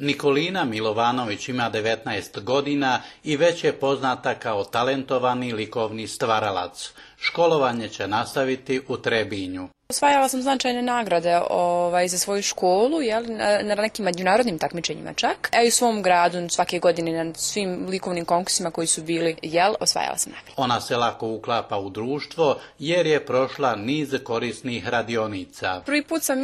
Nikolina Milovanović ima 19 godina i već je poznata kao talentovani likovni stvaralac. Školovanje će nastaviti u Trebinju. Osvajala sam značajne nagrade za svoju školu, na nekim međunarodnim takmičenjima čak. I u svom gradu svake godine na svim likovnim konkursima koji su bili, osvajala sam nagrade. Ona se lako uklapa u društvo jer je prošla niz korisnih radionica. Prvi put sam,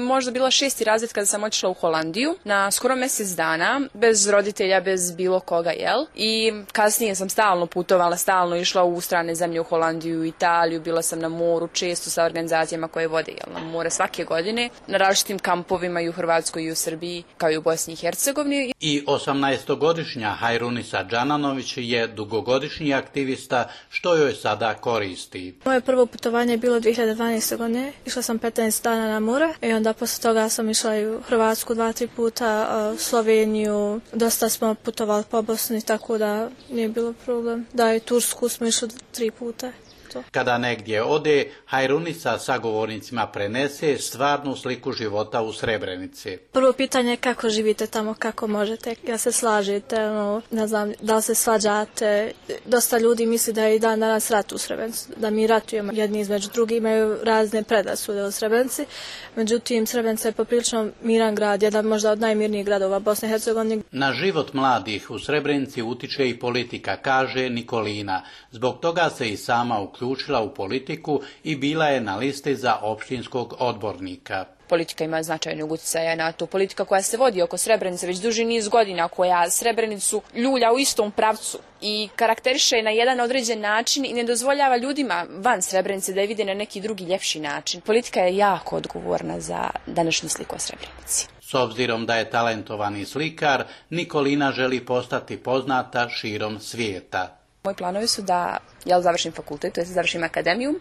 možda bila 6. razred kada sam otišla u Holandiju na skoro mjesec dana, bez roditelja, bez bilo koga, I kasnije sam stalno putovala, stalno išla u strane zemlje, u Holandiju, Italiju, bila sam na moru često sa organizacijama koje vode na more svake godine, na različitim kampovima i u Hrvatskoj i u Srbiji, kao i u Bosni i Hercegovini. I 18-godišnja Hajrunisa Džananović je dugogodišnji aktivista, što joj sada koristi. Moje prvo putovanje je bilo 2012. godine. Išla sam 15 dana na more i onda posle toga sam išla i u Hrvatsku 2-3 puta, Sloveniju, dosta smo putovali po Bosni, tako da nije bilo problem. Da, i Tursku smo išli 3 puta. Kada negdje ode, Hajrunica sagovornicima prenese stvarnu sliku života u Srebrenici. Prvo pitanje je kako živite tamo, kako možete, ja se slažete, ne znam, da li se svađate. Dosta ljudi misli da je i dan danas rat u Srebrenici, da mi ratujemo jedni između drugih, imaju razne predrasude u Srebrenici. Međutim, Srebrenica je poprilično miran grad, jedan možda od najmirnijih gradova Bosne i Hercegovine. Na život mladih u Srebrenici utiče i politika, kaže Nikolina. Zbog toga se i sama uključila u politiku i bila je na listi za opštinskog odbornika. Politika ima značajnog utjecaja na to. Politika koja se vodi oko Srebrenice već duži niz godina, koja Srebrenicu ljulja u istom pravcu i karakteriše na jedan određen način i ne dozvoljava ljudima van Srebrenice da je vide na neki drugi ljepši način. Politika je jako odgovorna za današnju sliku o Srebrenici. S obzirom da je talentovani slikar, Nikolina želi postati poznata širom svijeta. Moji planovi su da završim fakultet, to jest da završim akademiju,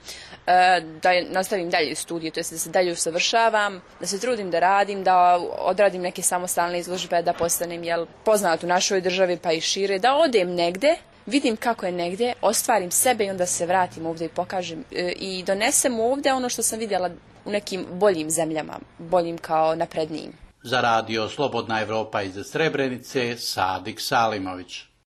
da nastavim dalje studije, to jest da se dalje usavršavam, da se trudim da radim, da odradim neke samostalne izložbe, da postanem poznat u našoj državi pa i šire, da odem negde, vidim kako je negdje, ostvarim sebe i onda se vratim ovdje i pokažem i donesem ovdje ono što sam vidjela u nekim boljim zemljama, boljim kao naprednijim. Za radio Slobodna Evropa iz Srebrenice, Sadik Salimović.